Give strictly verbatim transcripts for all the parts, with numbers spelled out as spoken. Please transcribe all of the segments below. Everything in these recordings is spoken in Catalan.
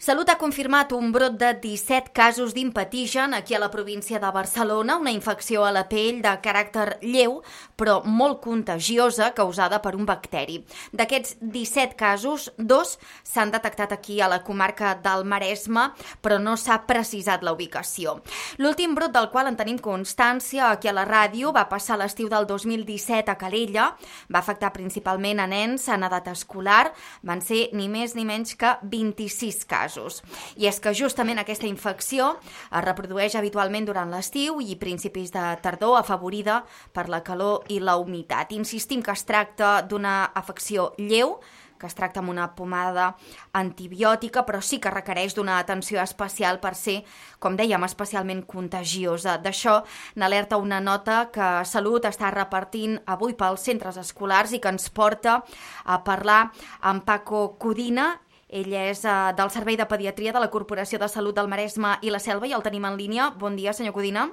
Salut ha confirmat un brot de disset casos d'impetigen aquí a la província de Barcelona, una infecció a la pell de caràcter lleu, però molt contagiosa, causada per un bacteri. D'aquests disset casos, dos s'han detectat aquí a la comarca del Maresme, però no s'ha precisat la ubicació. L'últim brot del qual en tenim constància aquí a la ràdio va passar l'estiu del dos mil disset a Calella, va afectar principalment a nens en edat escolar, van ser ni més ni menys que vint-i-sis casos. I és que justament aquesta infecció es reprodueix habitualment durant l'estiu i principis de tardor, afavorida per la calor i la humitat. Insistim que es tracta d'una afecció lleu, que es tracta amb una pomada antibiòtica, però sí que requereix d'una atenció especial per ser, com dèiem, especialment contagiosa. D'això n'alerta una nota que Salut està repartint avui pels centres escolars i que ens porta a parlar amb Paco Codina. Ell és uh, del Servei de Pediatria de la Corporació de Salut del Maresme i la Selva i el tenim en línia. Bon dia, senyor Codina.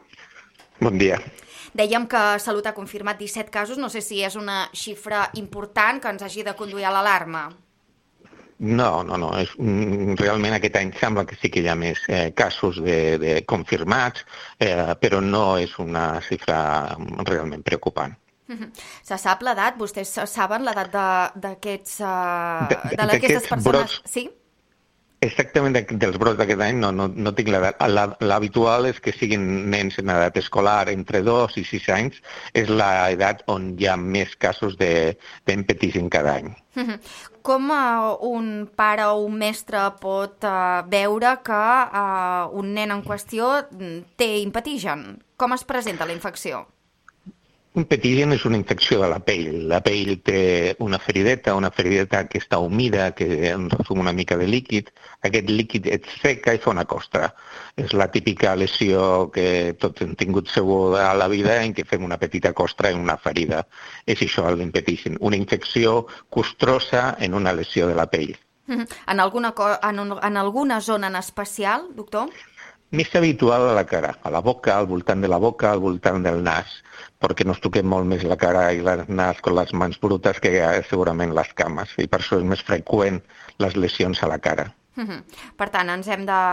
Bon dia. Dèiem que Salut ha confirmat disset casos. No sé si és una xifra important que ens hagi de conduir a l'alarma. No, no, no. És, realment aquest any sembla que sí que hi ha més eh, casos de, de confirmats, eh, però no és una xifra realment preocupant. Se sap l'edat? Vostès saben l'edat d'aquests uh, d'aquestes persones? Brots, sí? Exactament dels brots d'aquest any no, no, no tinc l'edat. L'habitual és que siguin nens en edat escolar entre dos i sis anys. És l'edat on hi ha més casos d'empetigen cada any. Com uh, un pare o un mestre pot uh, veure que uh, un nen en qüestió té impetigen? Com es presenta la infecció? Un impetigen és una infecció de la pell. La pell té una ferideta, una ferideta que està humida, que resum una mica de líquid. Aquest líquid et seca i fa una costra. És la típica lesió que tots hem tingut segur a la vida en què fem una petita costra en una ferida. És això, l'impetigen. Una infecció costrosa en una lesió de la pell. En alguna, en, un, en alguna zona en especial, doctor? Més habitual a la cara, a la boca, al voltant de la boca, al voltant del nas, perquè no es toquem molt més la cara i el nas amb les mans brutes que segurament les cames, i per això és més freqüent les lesions a la cara. Uh-huh. Per tant, ens hem de,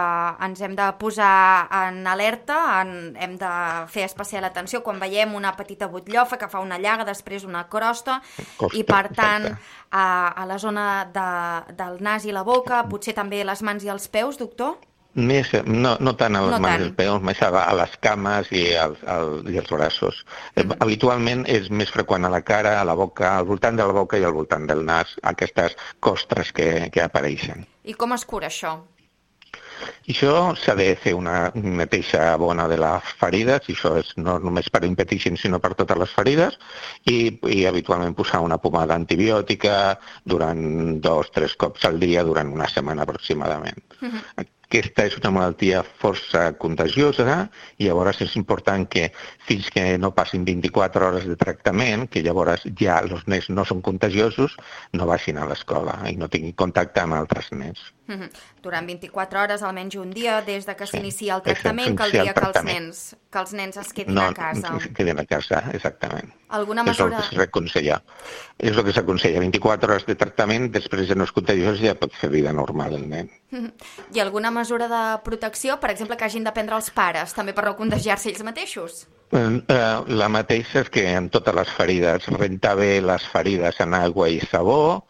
ens hem de posar en alerta, en, hem de fer especial atenció quan veiem una petita butllofa que fa una llaga, després una crosta, Costa, i per tant a, a la zona de, del nas i la boca, potser també les mans i els peus, doctor? Més, no, no tant a les no mans tant. i els peus, més a, a les cames i, al, al, i els braços. Mm. Habitualment és més freqüent a la cara, a la boca, al voltant de la boca i al voltant del nas, aquestes costres que, que apareixen. I com es cura això? I això s'ha de fer una neteja bona de les ferides, i això és no només per impetigen sinó per totes les ferides, i, i habitualment posar una pomada antibiòtica durant dos, tres cops al dia durant una setmana aproximadament. Mm-hmm. Aquesta és una malaltia força contagiosa i llavors és important que fins que no passin vint-i-quatre hores de tractament, que llavors ja els nens no són contagiosos, no vagin a l'escola i no tinguin contacte amb altres nens. Mm-hmm. Durant vint-i-quatre hores, almenys un dia, des de que sí, s'inicia el tractament, caldria que els, nens, que els nens es quedin no, a casa. No, es quedin a casa, exactament. Alguna mesura... És el que s'aconsella. És el que s'aconsella. vint-i-quatre hores de tractament, després de no és contagiós, ja pot fer vida normal el nen. Mm-hmm. I alguna mesura de protecció, per exemple, que hagin de prendre els pares, també per no contagiar-se ells mateixos? La mateixa és que en totes les ferides, rentar bé les ferides en aigua i sabó,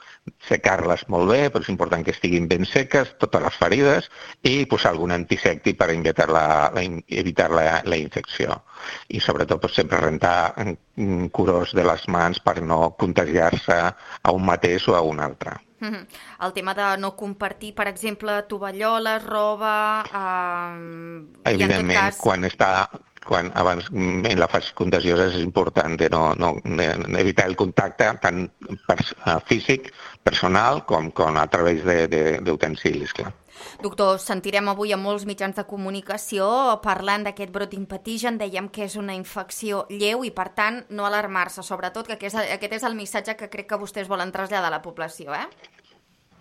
secar-les molt bé, però és important que estiguin ben seques, totes les ferides, i posar algun antisèptic per evitar la, la, evitar la, la infecció. I sobretot pues, sempre rentar curós de les mans per no contagiar-se a un mateix o a un altre. Mm-hmm. El tema de no compartir, per exemple, tovalloles, roba... Eh, Evidentment, i en tot cas... quan està... quan abans en la fase contagiosa és important de no, no de evitar el contacte tant pers físic, personal, com, com a través d'utensilis, clar. Doctor, sentirem avui a molts mitjans de comunicació parlant d'aquest brot d'impetigen. Dèiem que és una infecció lleu i, per tant, no alarmar-se, sobretot, que aquest és el missatge que crec que vostès volen traslladar a la població, eh?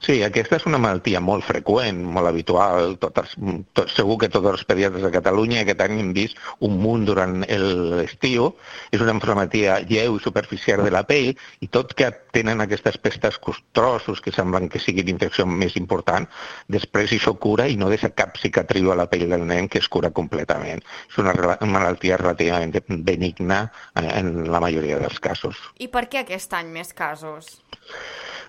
Sí, aquesta és una malaltia molt freqüent, molt habitual. Totes, tot, segur que tots els pediatres de Catalunya aquest any hem vist un munt durant l'estiu. És una malaltia lleu i superficial de la pell i tot que tenen aquestes pestes costrossos que semblen que sigui l'infecció més important, després això cura i no deixa cap cicatriu a la pell del nen, que es cura completament. És una malaltia relativament benigna en la majoria dels casos. I per què aquest any més casos?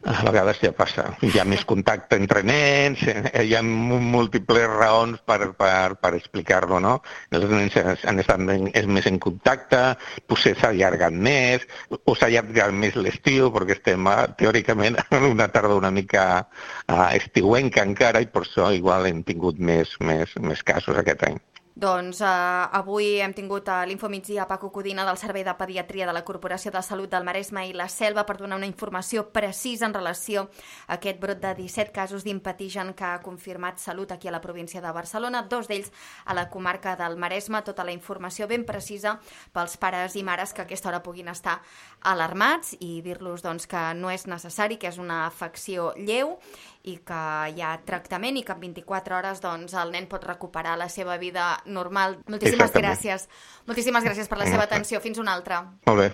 A vegades ja passa. Hi ha més contacte entre nens, hi ha múltiples raons per, per, per explicar-lo, no? Els nens han estat més en contacte, potser s'ha allargat més, o s'ha allargat més l'estiu, perquè estem teòricament en una tardor una mica uh, estiuenca encara, i per això igual hem tingut més, més, més casos aquest any. Doncs eh, avui hem tingut a l'Infomigdia Paco Codina del Servei de Pediatria de la Corporació de Salut del Maresme i la Selva per donar una informació precisa en relació a aquest brot de disset casos d'impetigen que ha confirmat Salut aquí a la província de Barcelona, dos d'ells a la comarca del Maresme. Tota la informació ben precisa pels pares i mares que a aquesta hora puguin estar alarmats i dir-los doncs, que no és necessari, que és una afecció lleu i que hi ha tractament i que en vint-i-quatre hores doncs, el nen pot recuperar la seva vida normal. Moltíssimes gràcies. Moltíssimes gràcies per la seva atenció. Fins una altra. Molt bé.